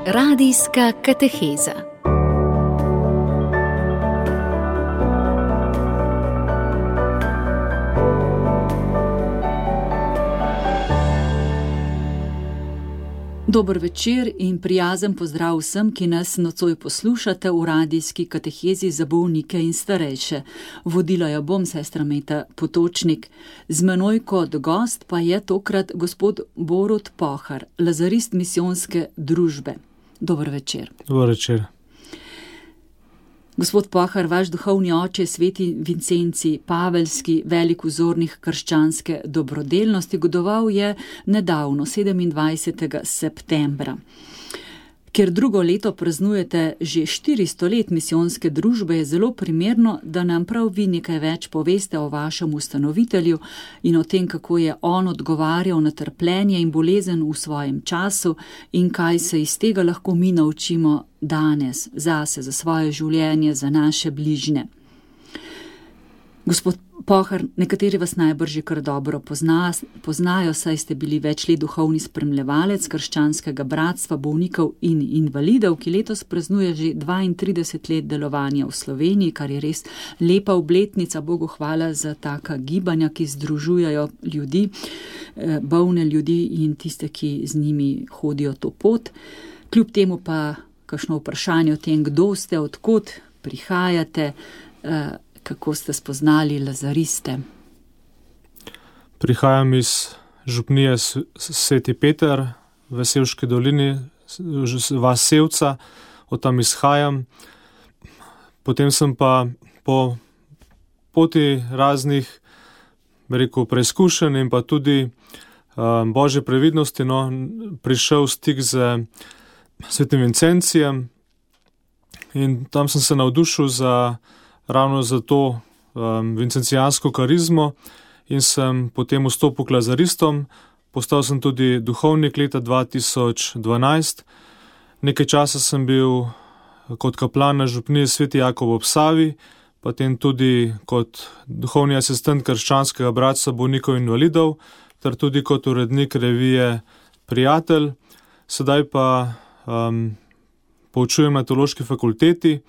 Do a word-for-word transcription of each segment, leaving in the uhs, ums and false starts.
Radijska kateheza. Dober večer in prijazen pozdrav vsem, ki nas nocoj poslušate v radijski katehezi za bolnike in starejše. Vodila jo bom, sestra Meta Potočnik. Z menoj kot gost pa je tokrat gospod Borut Pohar, lazarist misijonske družbe. Dober večer. Dober večer. Gospod Pohar, vaš duhovni oče, sveti Vincenci Paveljski, velik vzornik krščanske dobrodelnosti, godoval je nedavno, sedemindvajsetega septembra. Ker drugo leto praznujete že štiristo let misijonske družbe, je zelo primerno, da nam prav vi nekaj več poveste o vašem ustanovitelju in o tem, kako je on odgovarjal na trpljenje in bolezen v svojem času in kaj se iz tega lahko mi naučimo danes, zase, za svoje življenje, za naše bližnje. Gospod Pohar, nekateri vas najbrž že kar dobro pozna, poznajo, saj ste bili več let duhovni spremljevalec krščanskega bratstva bolnikov in invalidov, ki letos praznuje že dvaintrideset let delovanja v Sloveniji, kar je res lepa obletnica. Bogu hvala za taka gibanja, ki združujajo ljudi, bolne ljudi in tiste, ki z njimi hodijo to pot. Kljub temu pa kakšno vprašanje o tem, kdo ste, odkot prihajate, kako ste spoznali lazariste? Prihajam iz župnije Sveti Peter v Sevški dolini, vas Sevca, od tam izhajam. Potem sem pa po poti raznih, rekel, preizkušenj in pa tudi um, Božje previdnosti, no, prišel v stik z svetim Vincencijem in tam sem se navdušil za ravno za to um, vincencijansko karizmo in sem potem vstopil k lazaristom. Postal sem tudi duhovnik leta dva tisoč dvanajst. Nekaj časa sem bil kot kaplan na župniji Sveti Jakov ob Savi, potem tudi kot duhovni asistent krščanskega bratstva bolnikov in invalidov, ter tudi kot urednik revije Prijatelj. Sedaj pa um, poučujem na teološki fakulteti.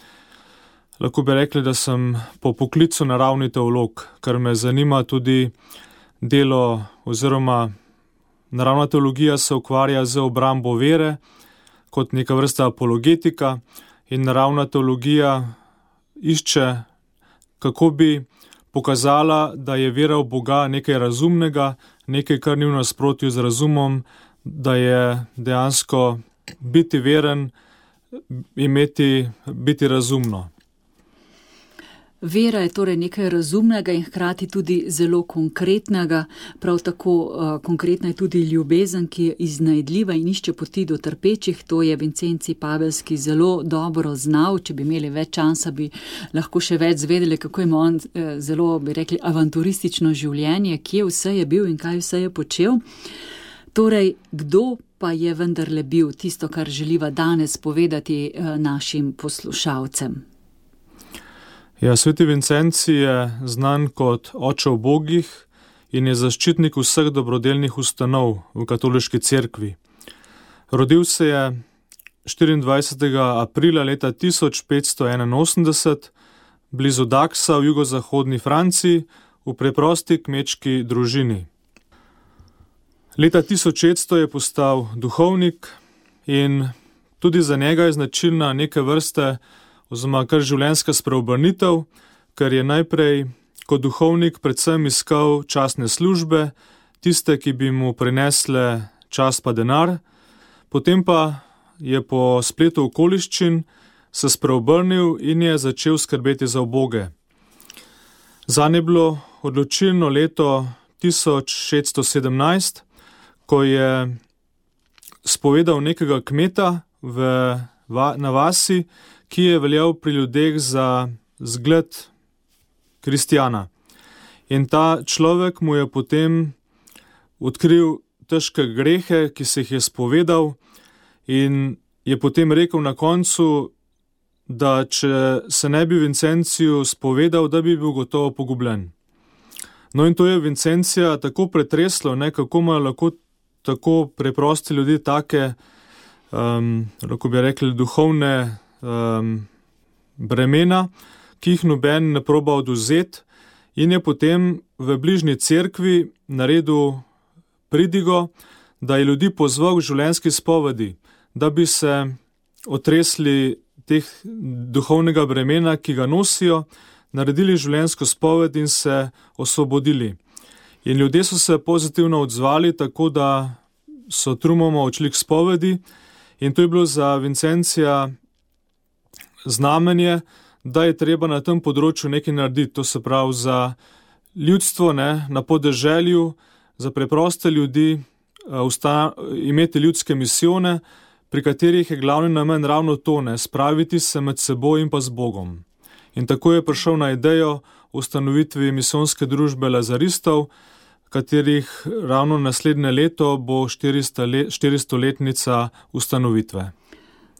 Lahko bi rekli, da sem po poklicu naravni teolog, ker me zanima tudi delo oziroma naravna teologija se ukvarja z obrambo vere kot neka vrsta apologetika in naravna teologija išče, kako bi pokazala, da je vera v Boga nekaj razumnega, nekaj, kar ni v nasprotju z razumom, da je dejansko biti veren, imeti, biti razumno. Vera je torej nekaj razumnega in hkrati tudi zelo konkretnega, prav tako uh, konkretna je tudi ljubezen, ki je iznajdljiva in išče poti do trpečih. To je Vincenci Paveljski zelo dobro znal. Če bi imeli več časa, bi lahko še več zvedeli, kako ima on eh, zelo, bi rekli, avanturistično življenje, kje vse je bil in kaj vse je počel. Torej, kdo pa je vendarle bil, tisto, kar želiva danes povedati eh, našim poslušalcem? Ja, sveti Vincenci je znan kot oče ubogih in je zaščitnik vseh dobrodelnih ustanov v katoliški cerkvi. Rodil se je štiriindvajsetega aprila leta tisoč petsto enainosemdeset blizu Daxa v jugozahodni Franciji v preprosti kmečki družini. Leta tisoč šeststo je postal duhovnik in tudi za njega je značilna neke vrste oziroma kar življenjska spreobrnitev, ker je najprej kot duhovnik predvsem iskal častne službe, tiste, ki bi mu prinesle čast pa denar, potem pa je po spletu okoliščin se spreobrnil in je začel skrbeti za uboge. Zanj je bilo odločilno leto tisoč šeststo sedemnajst, ko je spovedal nekega kmeta v, na vasi, ki je veljal pri ljudeh za zgled kristjana. In ta človek mu je potem odkril težke grehe, ki se jih je spovedal in je potem rekel na koncu, da če se ne bi Vincenciju spovedal, da bi bil gotovo pogubljen. No in to je Vincencija tako pretreslo, ne, kako imajo lahko tako preprosti ljudje take um, lahko bi rekli, duhovne um, bremena, ki jih noben ne proba odvzeti, in je potem v bližnji cerkvi naredil pridigo, da je ljudi pozval k življenjski spovedi, da bi se otresli teh duhovnega bremena, ki ga nosijo, naredili življenjsko spoved in se osvobodili. In ljudje so se pozitivno odzvali, tako da so trumoma odšli k spovedi, in to je bilo za Vincencija znamenje, da je treba na tem področju nekaj narediti, to se pravi za ljudstvo, ne, na podeželju, za preproste ljudi, usta, imeti ljudske misijone, pri katerih je glavni namen ravno to, ne, spraviti se med seboj in pa z Bogom. In tako je prišel na idejo ustanovitvi misijonske družbe Lazaristov, katerih ravno naslednje leto bo štiristoletnica ustanovitve.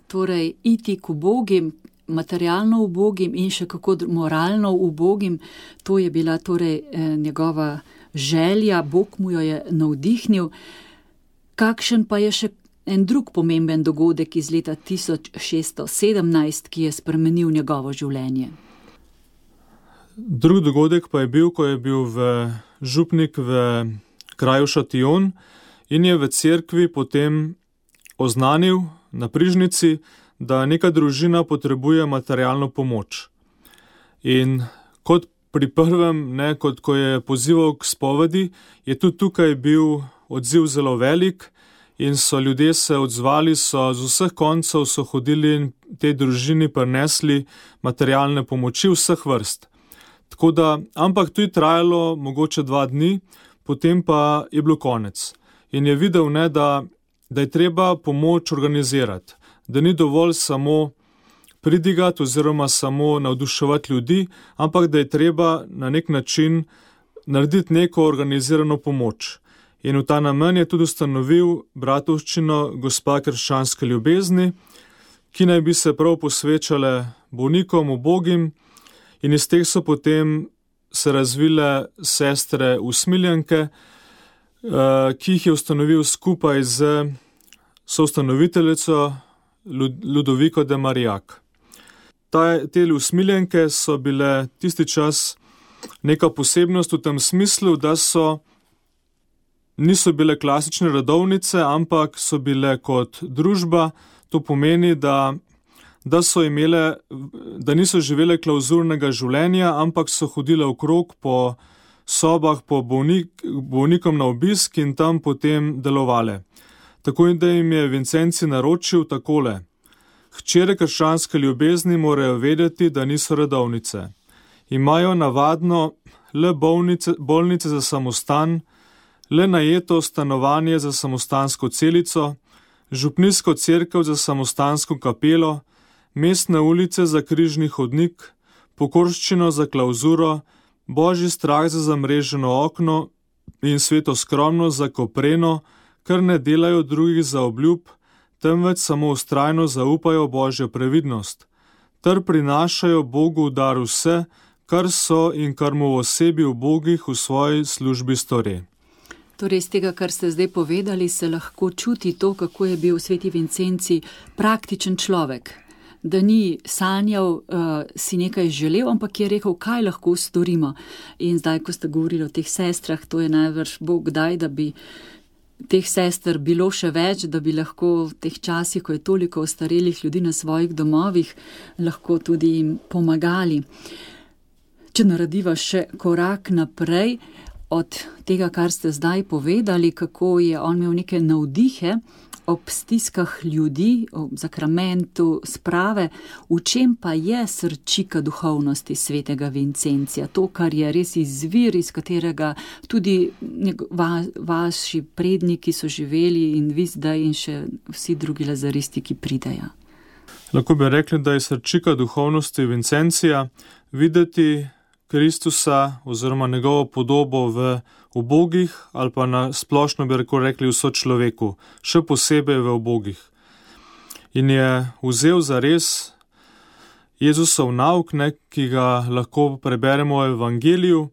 Torej, iti k ubogim, materialno ubogim in še kako moralno ubogim, to je bila torej njegova želja, Bog mu jo je navdihnil. Kakšen pa je še en drug pomemben dogodek iz leta tisoč šeststo sedemnajst, ki je spremenil njegovo življenje? Drug dogodek pa je bil, ko je bil v župnik v kraju Šatijon in je v cerkvi potem oznanil na prižnici, da neka družina potrebuje materialno pomoč. In kot pri prvem, ne, kot ko je pozival k spovedi, je tudi tukaj bil odziv zelo velik in so ljudje se odzvali, so z vseh koncev so hodili in tej družini prinesli materialne pomoči vseh vrst. Tako da, ampak to je trajalo mogoče dva dni, potem pa je bilo konec. In je videl, ne, da, da je treba pomoč organizirati, da ni dovolj samo pridigati oziroma samo navduševati ljudi, ampak da je treba na nek način narediti neko organizirano pomoč. In v ta namen je tudi ustanovil bratovščino Gospa krščanske ljubezni, ki naj bi se prav posvečale bolnikom, ubogim, in iz teh so potem se razvile sestre usmiljenke, ki jih je ustanovil skupaj z soustanoviteljico Ludoviko de Marillac. Te usmiljenke so bile tisti čas neka posebnost v tem smislu, da so niso bile klasične redovnice, ampak so bile kot družba. To pomeni, da, da so imele, da niso živele klauzurnega življenja, ampak so hodile okrog po sobah, po bolnik, bolnikom na obisk in tam potem delovale. Tako da jim je Vincenci naročil takole: hčere krščanske ljubezni morajo vedeti, da niso redovnice. Imajo navadno le bolnice, bolnice za samostan, le najeto stanovanje za samostansko celico, župnijsko cerkev za samostansko kapelo, mestne ulice za križni hodnik, pokorščino za klauzuro, božji strah za zamreženo okno in sveto skromnost za kopreno, ker ne delajo drugih za obljub, temveč samo vztrajno zaupajo Božjo previdnost, ter prinašajo Bogu v dar vse, kar so in kar mu v osebi ubogih v svoji službi stori. Torej, iz tega, kar ste zdaj povedali, se lahko čuti to, kako je bil sveti Vincenci praktičen človek. Da ni sanjal, uh, si nekaj želel, ampak je rekel, kaj lahko storimo. In zdaj, ko ste govorili o teh sestrah, to je najvrš Bog daj, da bi teh sester bilo še več, da bi lahko v teh časih, ko je toliko ostarelih ljudi na svojih domovih, lahko tudi jim pomagali. Če narediva še korak naprej od tega, kar ste zdaj povedali, kako je on imel neke navdihe ob stiskah ljudi, ob zakramentu sprave, v čem pa je srčika duhovnosti svetega Vincencija, to, kar je res izvir, iz katerega tudi va, vaši predniki so živeli in vi zdaj in še vsi drugi lazaristi, ki pridejo. Lahko bi rekli, da je srčika duhovnosti Vincencija videti Kristusa oziroma njegovo podobo v ubogih ali pa na splošno bi rekli vso človeku, še posebej v ubogih. In je vzel za res Jezusov nauk, ne, ki ga lahko preberemo v Evangeliju,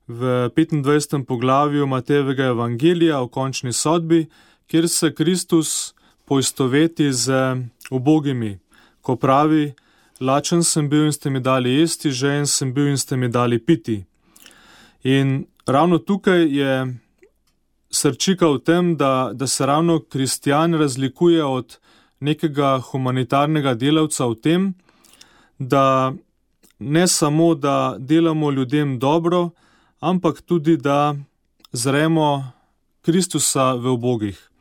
v petindvajsetem poglavju Matejevega Evangelija o končni sodbi, kjer se Kristus poistoveti z ubogimi, ko pravi: lačen sem bil in ste mi dali jesti, žejen sem bil in ste mi dali piti. In ravno tukaj je srčika v tem, da, da se ravno kristjan razlikuje od nekega humanitarnega delavca v tem, da ne samo, da delamo ljudem dobro, ampak tudi, da zremo Kristusa v ubogih.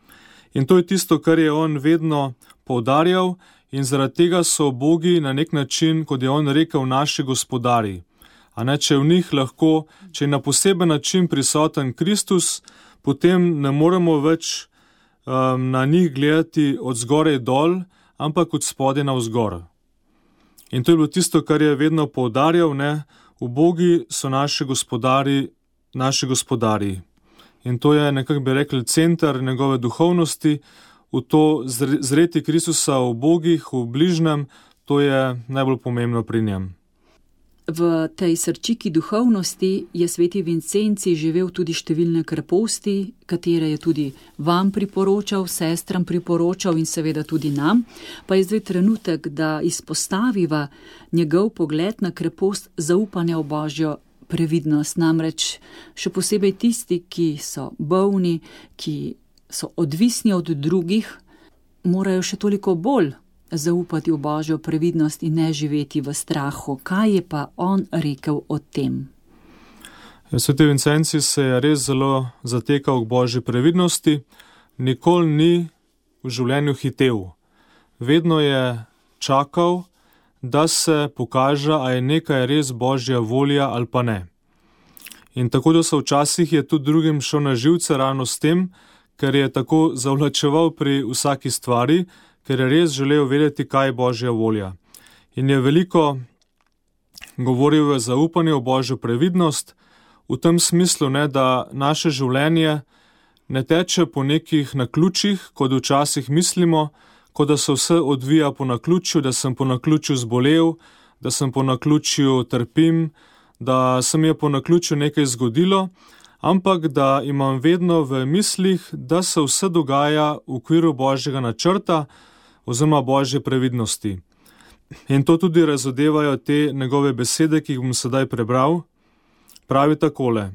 In to je tisto, kar je on vedno poudarjal, in zaradi tega so ubogi na nek način, kot je on rekel, naši gospodari. A ne, če v njih lahko, če je na poseben način prisoten Kristus, potem ne moremo več um, na njih gledati od zgoraj dol, ampak od spodaj navzgor. In to je bilo tisto, kar je vedno poudarjal, ne, ubogi so naši gospodari, naši gospodari. In to je, nekako bi rekli, center njegove duhovnosti, v to zreti Kristusa v ubogih, v bližnjem, to je najbolj pomembno pri njem. V tej srčiki duhovnosti je sveti Vincenci živel tudi številne kreposti, katere je tudi vam priporočal, sestram priporočal in seveda tudi nam. Pa je zdaj trenutek, da izpostaviva njegov pogled na krepost zaupanja v Božjo previdnost. Namreč še posebej tisti, ki so bolni, ki so odvisni od drugih, morajo še toliko bolj zaupati v Božjo previdnost in ne živeti v strahu. Kaj je pa on rekel o tem? Sveti Vincenci se je res zelo zatekal k Božji previdnosti, nikoli ni v življenju hitel. Vedno je čakal, da se pokaže, a je nekaj res Božja volja ali pa ne. In tako da so včasih je tudi drugim šel na živce ravno s tem, ker je tako zavlačeval pri vsaki stvari, ker je res želel vedeti, kaj je Božja volja. In je veliko govoril o zaupanju v Božjo previdnost, v tem smislu, ne, da naše življenje ne teče po nekih naključjih, kot včasih mislimo, kot da se vse odvija po naključju, da sem po naključju zbolel, da sem po naključju trpim, da se mi je po naključju nekaj zgodilo, ampak da imam vedno v mislih, da se vse dogaja v okviru Božjega načrta oziroma Božje previdnosti. In to tudi razodevajo te njegove besede, ki jih bom sedaj prebral. Pravi takole: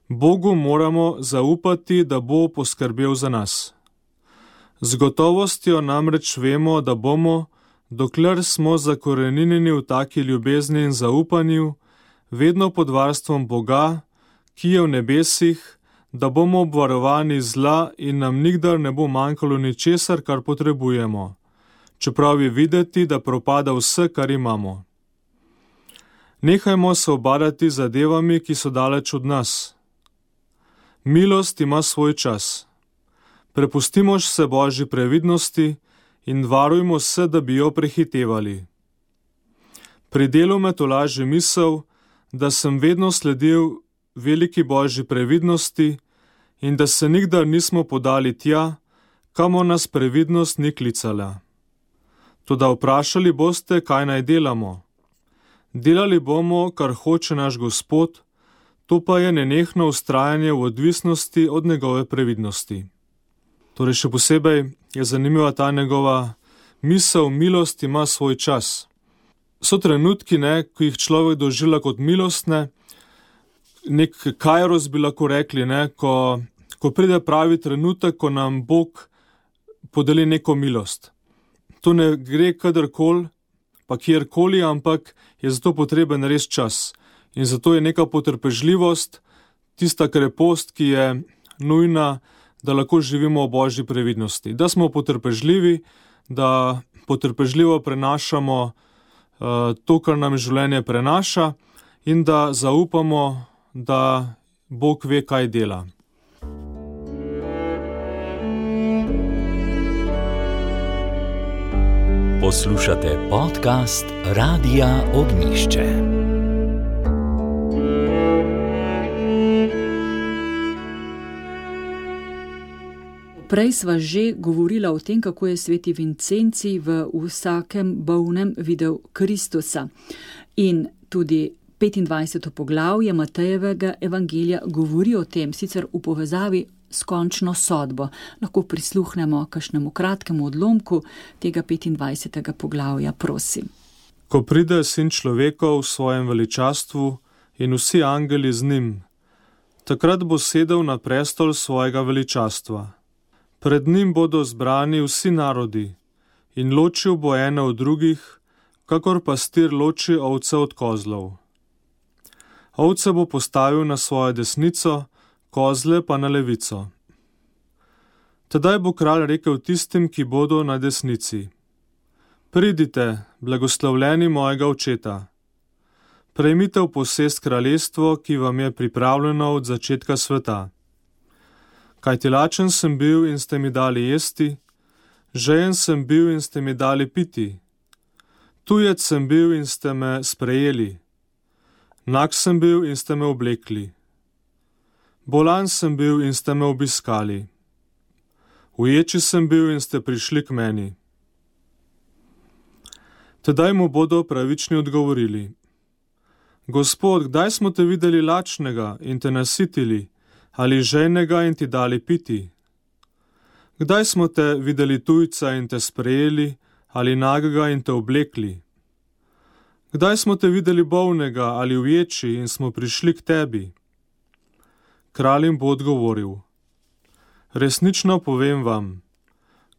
Bogu moramo zaupati, da bo poskrbel za nas. Z gotovostjo namreč vemo, da bomo, dokler smo zakoreninjeni v taki ljubezni in zaupanju, vedno pod varstvom Boga, ki je v nebesih, da bomo obvarovani zla in nam nikdar ne bo manjkalo ničesar, kar potrebujemo, čeprav je videti, da propada vse, kar imamo. Nehajmo se obadati zadevami, ki so daleč od nas. Milost ima svoj čas. Prepustimo se Božji previdnosti in varujmo se, da bi jo prehitevali. Pri delu me tolaži misel, da sem vedno sledil veliki Božji previdnosti in da se nikdar nismo podali tja, kamor nas previdnost ni klicala. Toda vprašali boste, kaj naj delamo. Delali bomo, kar hoče naš Gospod, to pa je nenehno vztrajanje v odvisnosti od njegove previdnosti. Torej še posebej je zanimiva ta njegova misel, milost ima svoj čas. So trenutki, ne, ko jih človek doživlja kot milostne, nek kairos bi lahko rekli, ne, ko, ko pride pravi trenutek, ko nam Bog podeli neko milost. To ne gre kadarkoli, pa kjerkoli, ampak je zato potreben res čas. In zato je neka potrpežljivost, tista krepost, ki je nujna, da lahko živimo v Božji previdnosti. Da smo potrpežljivi, da potrpežljivo prenašamo uh, to, kar nam življenje prenaša in da zaupamo, da Bog ve, kaj dela. Poslušate podcast Radia Ognjišče. Prej sva že govorila o tem, kako je sveti Vincenci v vsakem bolnem videl Kristusa. In tudi petindvajseto poglavje Matejevega evangelija govori o tem, sicer v povezavi s končno sodbo. Lahko prisluhnemo kakšnemu kratkemu odlomku tega petindvajsetega poglavja, prosim. Ko pride sin človekov v svojem veličastvu in vsi angeli z njim, takrat bo sedel na prestol svojega veličastva. Pred njim bodo zbrani vsi narodi in ločil bo ene od drugih, kakor pastir loči ovce od kozlov. Ovce bo postavil na svojo desnico, kozle pa na levico. Tedaj bo kralj rekel tistim, ki bodo na desnici: Pridite, blagoslovljeni mojega očeta. Prejmite v posest kraljestvo, ki vam je pripravljeno od začetka sveta. Kajti lačen sem bil in ste mi dali jesti, žejen sem bil in ste mi dali piti, tujec sem bil in ste me sprejeli, nag sem bil in ste me oblekli, bolan sem bil in ste me obiskali, uječi sem bil in ste prišli k meni. Tedaj mu bodo pravični odgovorili: Gospod, kdaj smo te videli lačnega in te nasitili, ali žejnega in ti dali piti? Kdaj smo te videli tujca in te sprejeli, ali nagega in te oblekli? Kdaj smo te videli bolnega ali uječi in smo prišli k tebi? Kralj jim bo odgovoril: Resnično povem vam,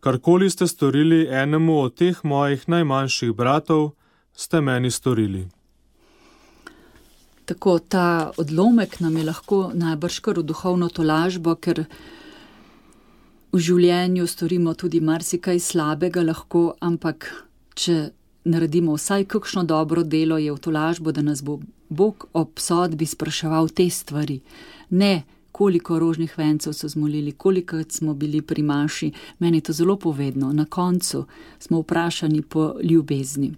karkoli ste storili enemu od teh mojih najmanjših bratov, ste meni storili. Tako, ta odlomek nam je lahko najbrž kar v duhovno tolažbo, ker v življenju storimo tudi marsikaj slabega lahko, ampak če naredimo vsaj kakšno dobro delo, je v tolažbo, da nas bo Bog ob sodbi spraševal te stvari. Ne, koliko rožnih vencev so zmolili, koliko smo bili pri maši. Meni je to zelo povedno. Na koncu smo vprašani po ljubezni.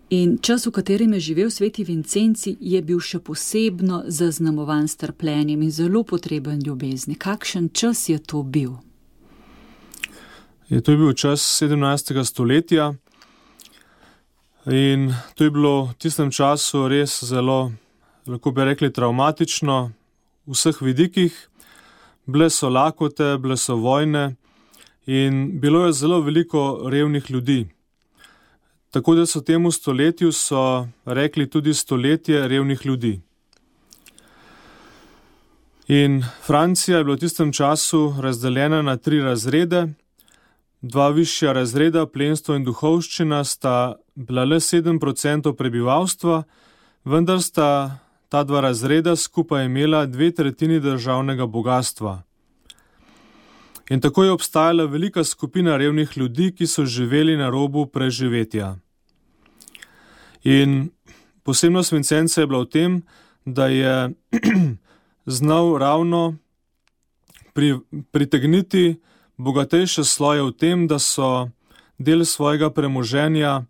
In čas, v katerem je živel sveti Vincenci, je bil še posebno zaznamovan s trpljenjem in zelo potreben ljubezni. Kakšen čas je to bil? Je to je bil čas sedemnajstega stoletja in to je bilo v tistem času res zelo, lahko bi rekli, travmatično v vseh vidikih. Bile so lakote, bile so vojne in bilo je zelo veliko revnih ljudi. Tako da so temu stoletju so rekli tudi stoletje revnih ljudi. In Francija je bila v tistem času razdeljena na tri razrede. Dva višja razreda, plemstvo in duhovščina, sta bila le sedem procentov prebivalstva, vendar sta ta dva razreda skupaj imela dve tretjini državnega bogastva. In tako je obstajala velika skupina revnih ljudi, ki so živeli na robu preživetja. In posebnost Vincenca je bila v tem, da je znal ravno pri, pritegniti bogatejše sloje v tem, da so del svojega premoženja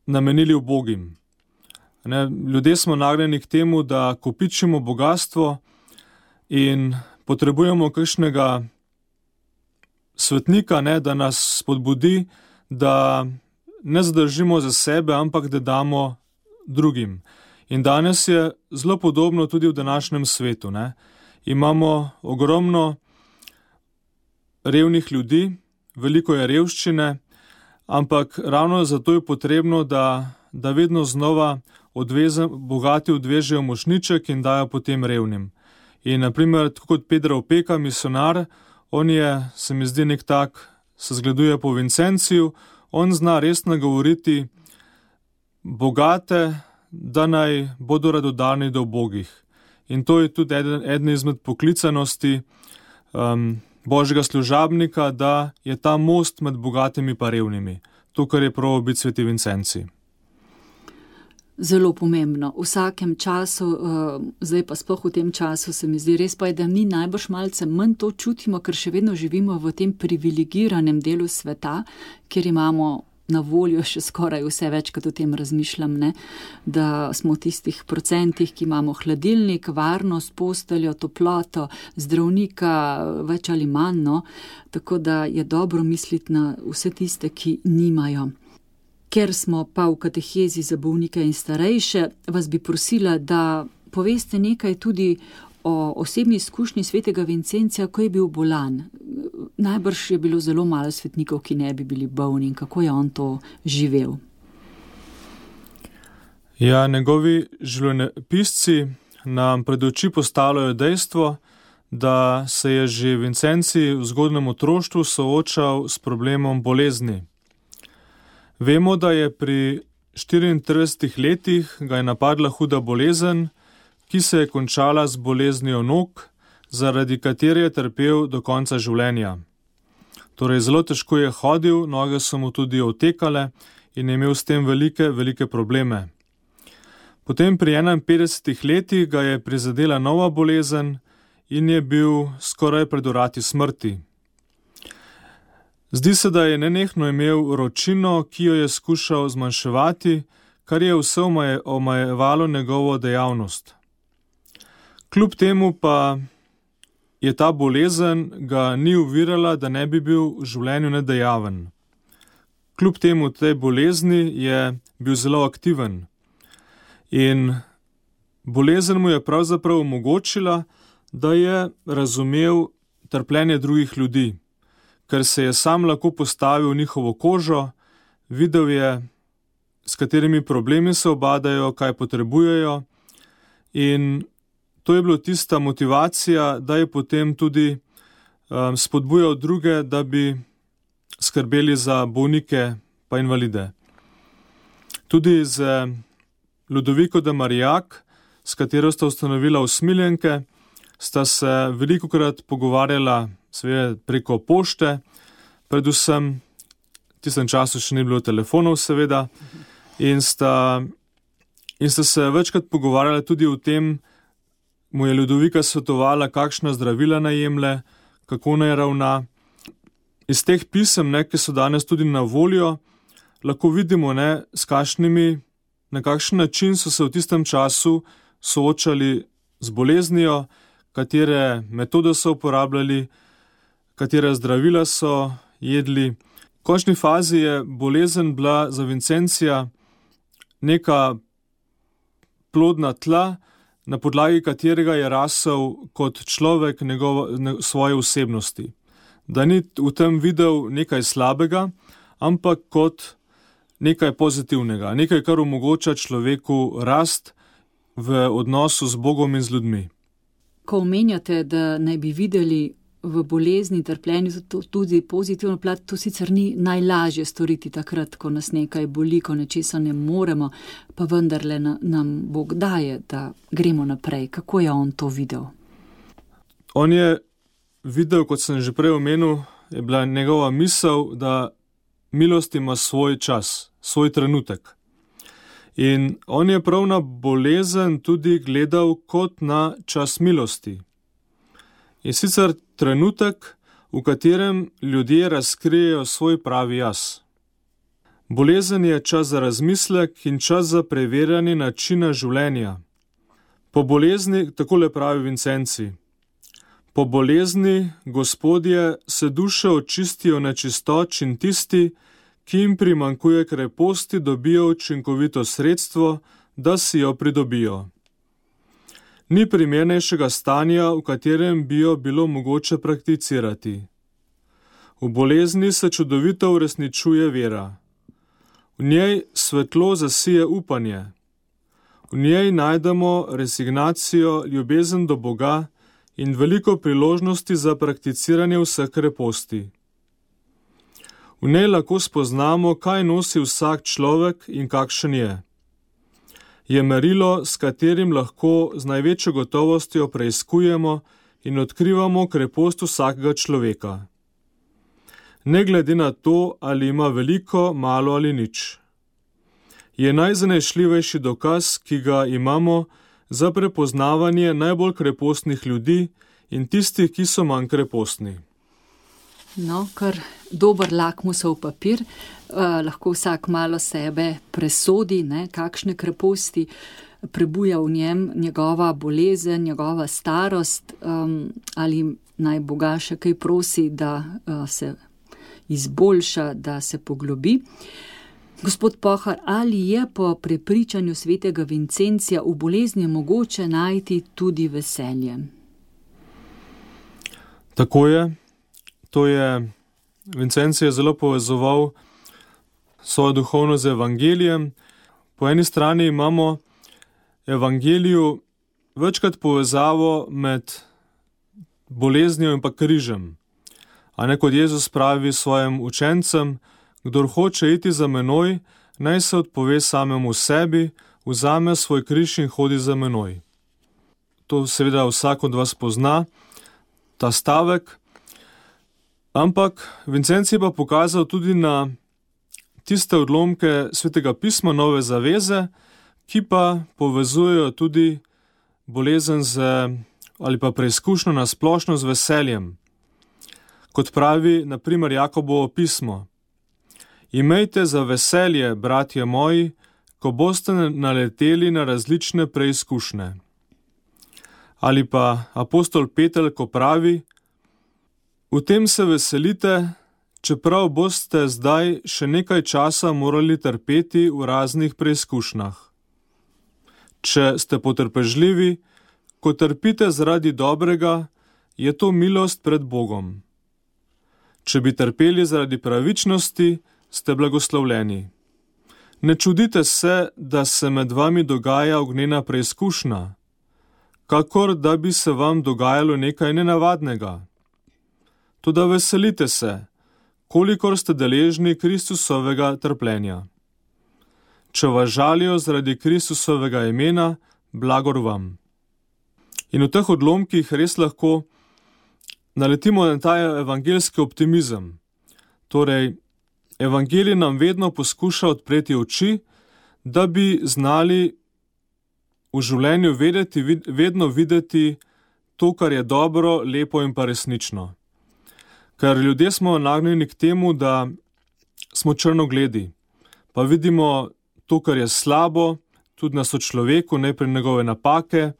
namenili ubogim. Ne, ljudje smo nagnjeni k temu, da kopičimo bogatstvo in potrebujemo kakšnega svetnika, ne, da nas spodbudi, da ne zadržimo za sebe, ampak da damo drugim. In danes je zelo podobno tudi v današnjem svetu. Ne. Imamo ogromno revnih ljudi, veliko je revščine, ampak ravno zato je potrebno, da, da vedno znova odvezem, bogati odvežejo mošnjiček in dajo potem revnim. In naprimer, tako kot Pedro Opeka, misionar, on je, se mi zdi, nek tak, se zgleduje po Vincenciju, on zna res nagovoriti bogate, da naj bodo radodani do ubogih. In to je tudi eden, eden izmed poklicanosti um, Božjega služabnika, da je ta most med bogatimi pa revnimi. To, kar je prav biti sveti Vincenci. Zelo pomembno. V vsakem času, uh, zdaj pa sploh v tem času, se mi zdi res pa je, da mi najbrž malce manj to čutimo, ker še vedno živimo v tem privilegiranem delu sveta, kjer imamo na voljo še skoraj vse, večkrat o tem razmišljam, ne? Da smo v tistih procentih, ki imamo hladilnik, varnost, posteljo, toploto, zdravnika, več ali manj, no? Tako da je dobro misliti na vse tiste, ki nimajo. Ker smo pa v katehezi za bolnike in starejše, vas bi prosila, da poveste nekaj tudi o osebni izkušnji svetega Vincencija, ko je bil bolan. Najbrž je bilo zelo malo svetnikov, ki ne bi bili bolni, in kako je on to živel. Ja, njegovi življenjepisci nam pred oči postavljajo dejstvo, da se je že Vincencij v zgodnjem otroštvu soočal s problemom bolezni. Vemo, da je pri štiriintridesetih letih ga je napadla huda bolezen, ki se je končala z boleznijo nog, zaradi katere je trpel do konca življenja. Torej, zelo težko je hodil, noge so mu tudi otekale in je imel s tem velike, velike probleme. Potem pri enainpetdesetih letih ga je prizadela nova bolezen in je bil skoraj pred vrati smrti. Zdi se, da je nenehno imel vročino, ki jo je skušal zmanjševati, kar je vse omejevalo njegovo dejavnost. Kljub temu pa je ta bolezen ga ni ovirala, da ne bi bil v življenju nedejaven. Kljub temu tej bolezni je bil zelo aktiven. In bolezen mu je pravzaprav omogočila, da je razumel trpljenje drugih ljudi, ker se je sam lahko postavil v njihovo kožo, videl je, s katerimi problemi se obadajo, kaj potrebujejo, in to je bila tista motivacija, da je potem tudi um, spodbujal druge, da bi skrbeli za bolnike pa invalide. Tudi z Ludoviko de Marillac, s katero sta ustanovila usmiljenke, sta se velikokrat pogovarjala seveda preko pošte, predvsem v tistem času še ni bilo telefonov seveda, in sta, in sta se večkrat pogovarjala tudi o tem, mu je Ludovika svetovala, kakšna zdravila naj jemlje, kako naj ravna. Iz teh pisem, ne, ki so danes tudi na voljo, lahko vidimo, ne, s kakšnimi, na kakšen način so se v tistem času soočali z boleznijo, katere metode so uporabljali, katere zdravila so jedli. V končni fazi je bolezen bila za Vincencija neka plodna tla, na podlagi katerega je rasel kot človek njegov, ne, svoje osebnosti. Da ni v tem videl nekaj slabega, ampak kot nekaj pozitivnega, nekaj, kar omogoča človeku rast v odnosu z Bogom in z ljudmi. Ko omenjate, da naj bi videli v bolezni, trpljenju tudi pozitivno plat, to sicer ni najlažje storiti takrat, ko nas nekaj boli, ko nečesa ne moremo, pa vendarle nam Bog daje, da gremo naprej. Kako je on to videl? On je videl, kot sem že prej omenil, je bila njegova misel, da milost ima svoj čas, svoj trenutek. In on je prav na bolezen tudi gledal kot na čas milosti. In sicer trenutek, v katerem ljudje razkrijejo svoj pravi jaz. Bolezen je čas za razmislek in čas za preverjanje načina življenja. Po bolezni, takole pravi Vincencij, po bolezni, Gospodje, se duše očistijo nečistoč in tisti, ki jim primanjkuje kreposti, dobijo učinkovito sredstvo, da si jo pridobijo. Ni primernejšega stanja, v katerem bi jo bilo mogoče prakticirati. V bolezni se čudovito uresničuje vera. V njej svetlo zasije upanje. V njej najdemo resignacijo, ljubezen do Boga in veliko priložnosti za prakticiranje vseh kreposti. V njej lahko spoznamo, kaj nosi vsak človek in kakšen je. Je merilo, s katerim lahko z največjo gotovostjo preiskujemo in odkrivamo krepost vsakega človeka. Ne glede na to, ali ima veliko, malo ali nič. Je najzanesljivejši dokaz, ki ga imamo za prepoznavanje najbolj krepostnih ljudi in tistih, ki so manj krepostni. No, kar dober lakmusov papir, eh, lahko vsak malo sebe presodi, ne, kakšne kreposti prebuja v njem njegova bolezen, njegova starost, um, ali naj Boga še kaj prosi, da uh, se izboljša, da se poglobi. Gospod Pohar, ali je po prepričanju svetega Vincencija v bolezni mogoče najti tudi veselje? Tako je. To je Vincencije zelo povezoval svojo duhovnost z evangelijem. Po eni strani imamo evangeliju večkrat povezavo med boleznijo in pa križem. A ne, kot Jezus pravi svojim učencem, kdor hoče iti za menoj, naj se odpove samemu sebi, vzame svoj križ in hodi za menoj. To seveda vsak od vas pozna, ta stavek. Ampak Vincencij pa pokazal tudi na tiste odlomke Svetega pisma Nove zaveze, ki pa povezujejo tudi bolezen z, ali pa preizkušnjo na splošno z veseljem. Kot pravi, na primer, Jakobovo pismo: Imejte za veselje, bratje moji, ko boste naleteli na različne preizkušnje. Ali pa apostol Peter, ko pravi: V tem se veselite, čeprav boste zdaj še nekaj časa morali trpeti v raznih preizkušnjah. Če ste potrpežljivi, ko trpite zaradi dobrega, je to milost pred Bogom. Če bi trpeli zaradi pravičnosti, ste blagoslovljeni. Ne čudite se, da se med vami dogaja ognjena preizkušnja, kakor da bi se vam dogajalo nekaj nenavadnega. Toda veselite se, kolikor ste deležni Kristusovega trpljenja. Če vas žalijo zaradi Kristusovega imena, blagor vam. In v teh odlomkih res lahko naletimo na ta evangeljski optimizem. Torej, evangelij nam vedno poskuša odpreti oči, da bi znali v življenju vedeti, vedno videti to, kar je dobro, lepo in pa resnično. Ker ljudje smo nagnjeni k temu, da smo črnogledi, pa vidimo to, kar je slabo, tudi na sočloveku, najprej njegove napake,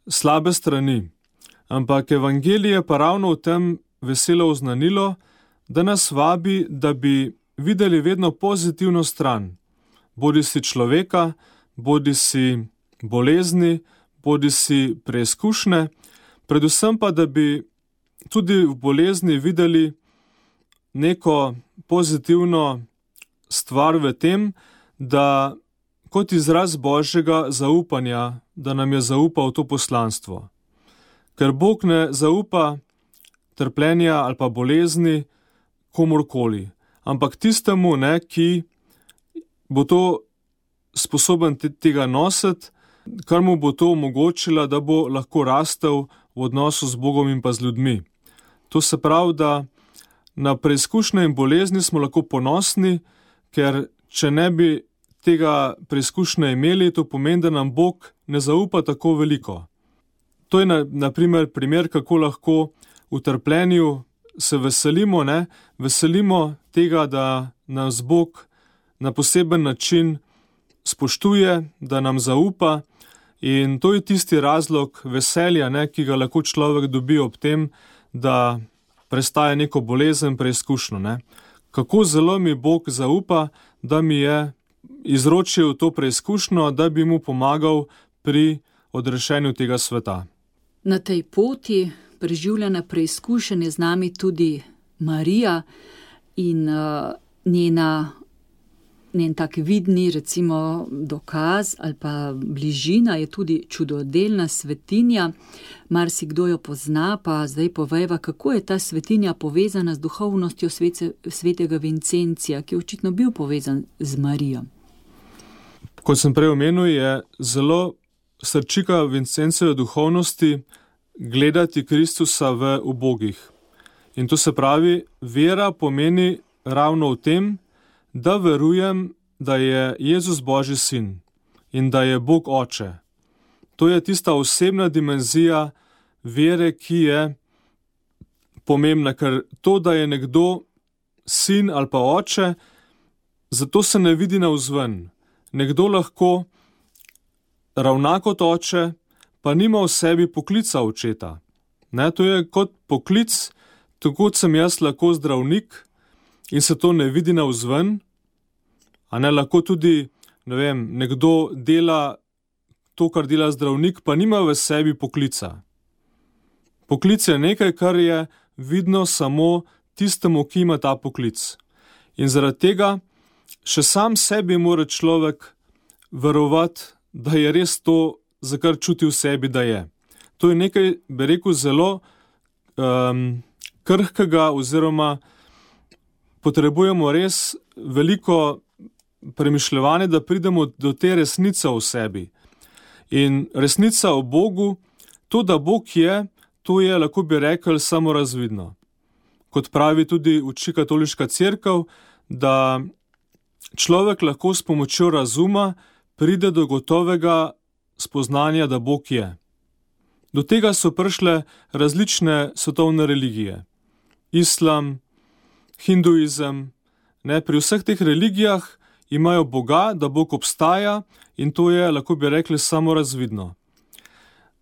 slabe strani. Ampak evangelij je pa ravno v tem veselo oznanilo, da nas vabi, da bi videli vedno pozitivno stran, bodi si človeka, bodi si bolezni, bodi si preizkušnje, predvsem pa, da bi tudi v bolezni videli neko pozitivno stvar v tem, da kot izraz Božjega zaupanja, da nam je zaupal to poslanstvo. Ker Bog ne zaupa trpljenja ali pa bolezni komorkoli, ampak tistemu, ne, ki bo to sposoben tega nositi, kar mu bo to omogočila, da bo lahko rastel v odnosu z Bogom in pa z ljudmi. To se pravi, da na preizkušnje in bolezni smo lahko ponosni, ker če ne bi tega preizkušnje imeli, to pomeni, da nam Bog ne zaupa tako veliko. To je na, na primer primer, kako lahko v trpljenju se veselimo, ne? Veselimo tega, da nas Bog na poseben način spoštuje, da nam zaupa, in to je tisti razlog veselja, ne, ki ga lahko človek dobi ob tem, da prestaje neko bolezen, preizkušnjo, ne. Kako zelo mi Bog zaupa, da mi je izročil to preizkušnjo, da bi mu pomagal pri odrešenju tega sveta. Na tej poti preživljanja preizkušenj je z nami tudi Marija in uh, njena njen tak vidni, recimo, dokaz ali pa bližina je tudi čudodelna svetinja. Marsikdo jo pozna, pa zdaj povejva, kako je ta svetinja povezana z duhovnostjo svete, svetega Vincencija, ki je očitno bil povezan z Marijo. Kot sem prej omenil, je zelo srčika Vincencijeve duhovnosti gledati Kristusa v ubogih. In to se pravi, vera pomeni ravno v tem, da verujem, da je Jezus Božji sin in da je Bog Oče. To je tista osebna dimenzija vere, ki je pomembna, ker to, da je nekdo sin ali pa oče, zato se ne vidi navzven. Nekdo lahko ravna kot oče, pa nima v sebi poklica očeta. Ne, to je kot poklic, tako sem jaz lahko zdravnik in se to ne vidi navzven, A ne, lahko tudi, ne vem, nekdo dela to, kar dela zdravnik, pa nima v sebi poklica. Poklic je nekaj, kar je vidno samo tistemu, ki ima ta poklic. In zaradi tega še sam sebi mora človek verovati, da je res to, za kar čuti v sebi, da je. To je nekaj, bi rekel, zelo um, krhkega oziroma potrebujemo res veliko premišljevanja, da pridemo do te resnice v sebi. In resnica o Bogu, to, da Bog je, to je, lahko bi rekel, samorazvidno. Kot pravi tudi uči katoliška cerkev, da človek lahko s pomočjo razuma pride do gotovega spoznanja, da Bog je. Do tega so prišle različne svetovne religije. Islam, hinduizem, ne, pri vseh teh religijah imajo Boga, da Bog obstaja in to je, lahko bi rekli, samorazvidno.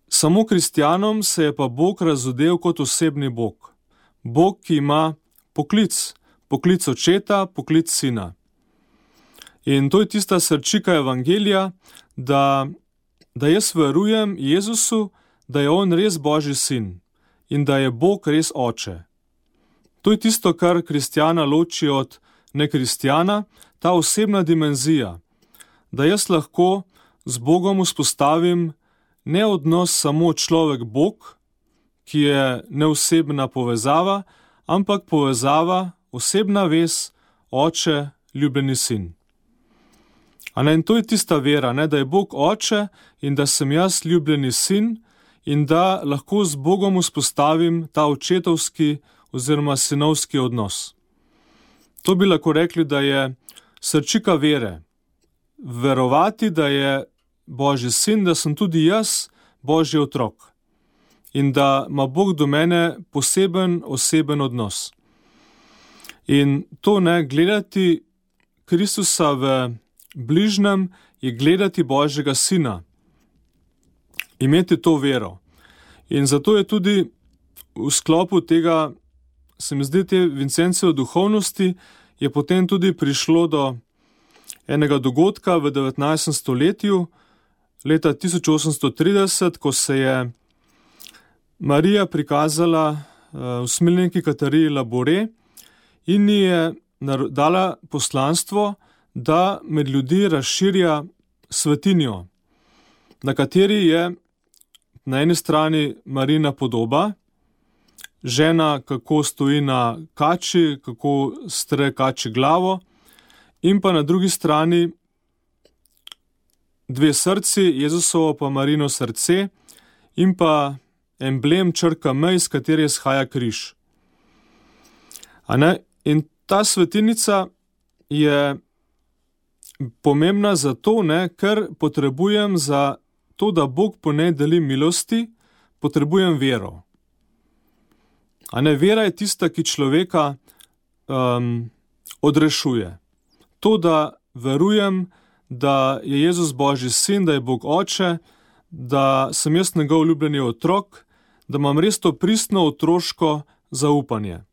Samo kristjanom se je pa Bog razodel kot osebni Bog. Bog, ki ima poklic, poklic očeta, poklic sina. In to je tista srčika evangelija, da, da jaz verujem Jezusu, da je on res Božji sin in da je Bog res oče. To je tisto, kar kristjana loči od nekristjana, ta osebna dimenzija, da jaz lahko z Bogom vzpostavim ne odnos samo človek-Bog, ki je neosebna povezava, ampak povezava, osebna vez, oče, ljubljeni sin. A ne, in to je tista vera, ne, da je Bog oče in da sem jaz ljubljeni sin in da lahko z Bogom vzpostavim ta očetovski oziroma sinovski odnos. To bi lahko rekli, da je srčika vere. Verovati, da je Božji sin, da sem tudi jaz Božji otrok in da ima Bog do mene poseben, oseben odnos. In to ne, gledati Kristusa v bližnjem je gledati Božjega sina, imeti to vero. In zato je tudi v sklopu tega, se mi zdi, te Vincenciove duhovnosti, je potem tudi prišlo do enega dogodka v devetnajstem stoletju, leta tisoč osemsto trideset, ko se je Marija prikazala uh, usmiljenki Katariji Labore in ji je dala poslanstvo, da med ljudi razširja svetinjo, na kateri je na eni strani Marijina podoba, žena, kako stoji na kači, kako stre kači glavo, in pa na drugi strani dve srci, Jezusovo pa Marijino srce, in pa emblem črka M, iz katere izhaja križ. A ne? In ta svetinica je pomembna zato, ne, ker potrebujem za to, da Bog po njej deli milosti, potrebujem vero. A ne, vera je tista, ki človeka um, odrešuje. To, da verujem, da je Jezus Božji sin, da je Bog oče, da sem jaz njegov ljubljeni otrok, da imam res to pristno otroško zaupanje.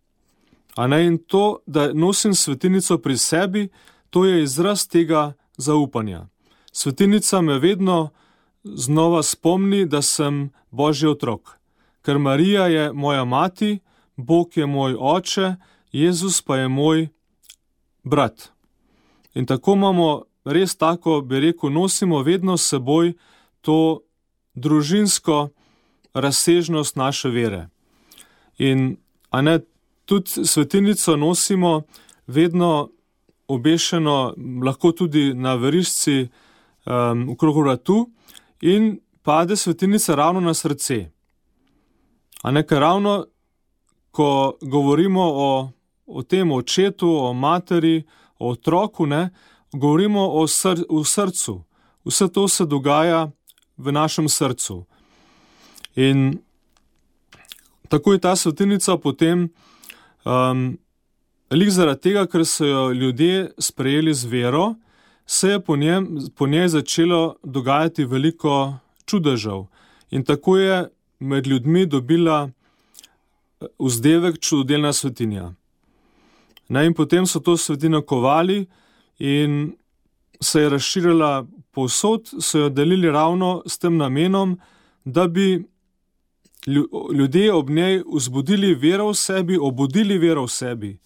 A ne, in to, da nosim svetinico pri sebi, to je izraz tega zaupanja. Svetinica me vedno znova spomni, da sem Božji otrok. Ker Marija je moja mati, Bog je moj oče, Jezus pa je moj brat. In tako imamo res tako, bi rekel, nosimo vedno s seboj to družinsko razsežnost naše vere. In a ne, tudi svetinico nosimo vedno obešeno, lahko tudi na verižci um, okrog vratu in pade svetinica ravno na srce. A ne, ker ravno, ko govorimo o, o tem očetu, o materi, o otroku, ne, govorimo o sr, v srcu. Vse to se dogaja v našem srcu. In tako je ta svetinica potem um, lik zaradi tega, ker so jo ljudje sprejeli z vero, se je po, njem, po njej začelo dogajati veliko čudežev. In tako je med ljudmi dobila vzdevek čudodelna svetinja. Ne, in potem so to svetino kovali in se je razširila povsod, so jo delili ravno s tem namenom, da bi ljudje ob njej vzbudili vero v sebi, obudili vero v sebi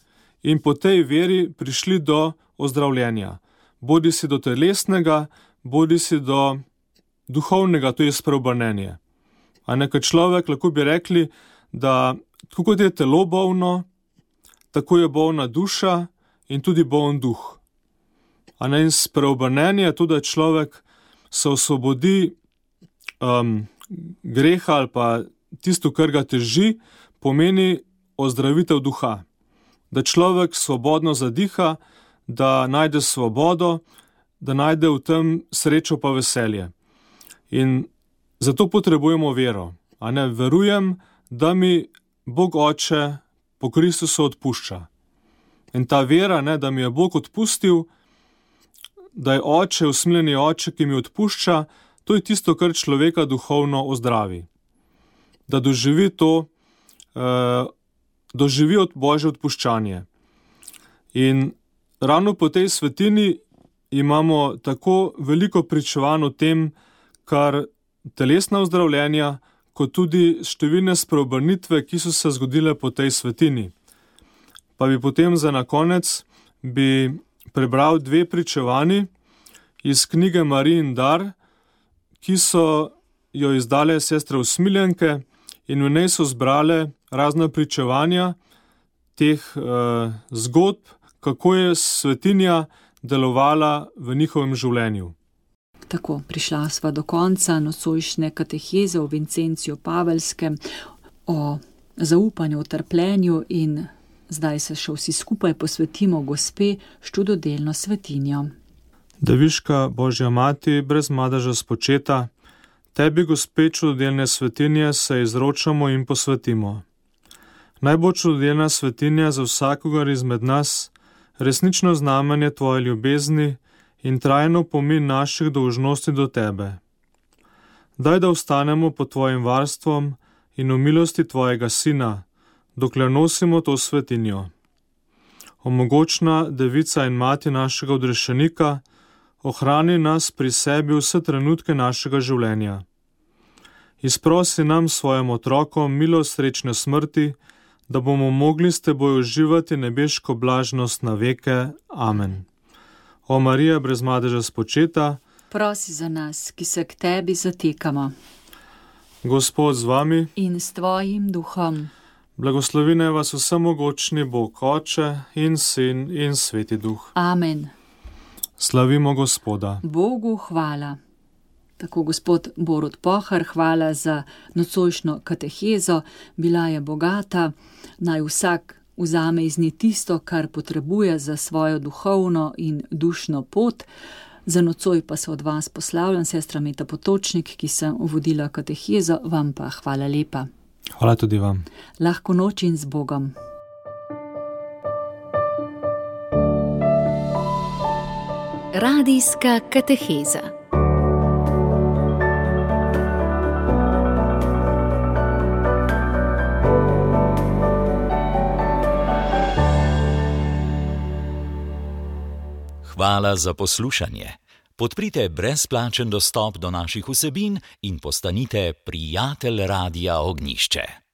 in po tej veri prišli do ozdravljenja. Bodi si do telesnega, bodi si do duhovnega, to je spreobrnenje. A nekaj človek, lahko bi rekli, da tako kot je telo bolno, tako je bolna duša in tudi bolen duh. A ne, in spreobrnenje je to, da človek se osvobodi um, greha ali pa tisto, kar ga teži, pomeni ozdravitev duha. Da človek svobodno zadiha, da najde svobodo, da najde v tem srečo pa veselje. In zato potrebujemo vero. A ne, verujem, da mi Bog Oče po Kristusu odpušča. In ta vera, ne, da mi je Bog odpustil, da je Oče, usmiljeni Oče, ki mi odpušča, to je tisto, kar človeka duhovno ozdravi. Da doživi to, eh, doživi od Božje odpuščanje. In ravno po tej svetini imamo tako veliko pričevanj o tem, kar telesna ozdravljenja, kot tudi številne spreobrnitve, ki so se zgodile po tej svetini. Pa bi potem za na konec bi prebral dve pričevanji iz knjige Marijin dar, ki so jo izdale sestre usmiljenke in v njej so zbrale razna pričevanja teh eh, zgodb, kako je svetinja delovala v njihovem življenju. Tako, prišla sva do konca nocojšnje kateheze o Vincenciju Pavelskem, o zaupanju, o trpljenju in zdaj se še vsi skupaj posvetimo Gospe s čudodelno svetinjo. Deviška Božja mati, brez madeža spočeta, tebi, Gospe čudodelne svetinje, se izročamo in posvetimo. Naj bo čudodelna svetinja za vsakogar izmed nas resnično znamenje tvoje ljubezni in trajno pomin naših dolžnosti do tebe. Daj, da ostanemo pod tvojim varstvom in v milosti tvojega sina, dokler nosimo to svetinjo. Omogočna devica in mati našega odrešenika, ohrani nas pri sebi vse trenutke našega življenja. Izprosi nam svojim otrokom milost srečne smrti, da bomo mogli s teboj uživati nebeško blažnost na veke. Amen. O Marija, brez madeža spočeta, prosi za nas, ki se k tebi zatekamo. Gospod z vami in s tvojim duhom. Blagoslovi naj vas vsemogočni Bog Oče in Sin in Sveti Duh. Amen. Slavimo Gospoda. Bogu hvala. Tako, gospod Borut Pohar, hvala za nocojšnjo katehezo, bila je bogata, naj vsak vzame iz nje tisto, kar potrebuje za svojo duhovno in dušno pot. Za nocoj pa se od vas poslavljam, sestra Meta Potočnik, ki sem vodila katehezo, vam pa hvala lepa. Hvala tudi vam. Lahko noč in z Bogom. Radijska kateheza. Hvala za poslušanje. Podprite brezplačen dostop do naših vsebin in postanite prijatelj Radia Ognjišče.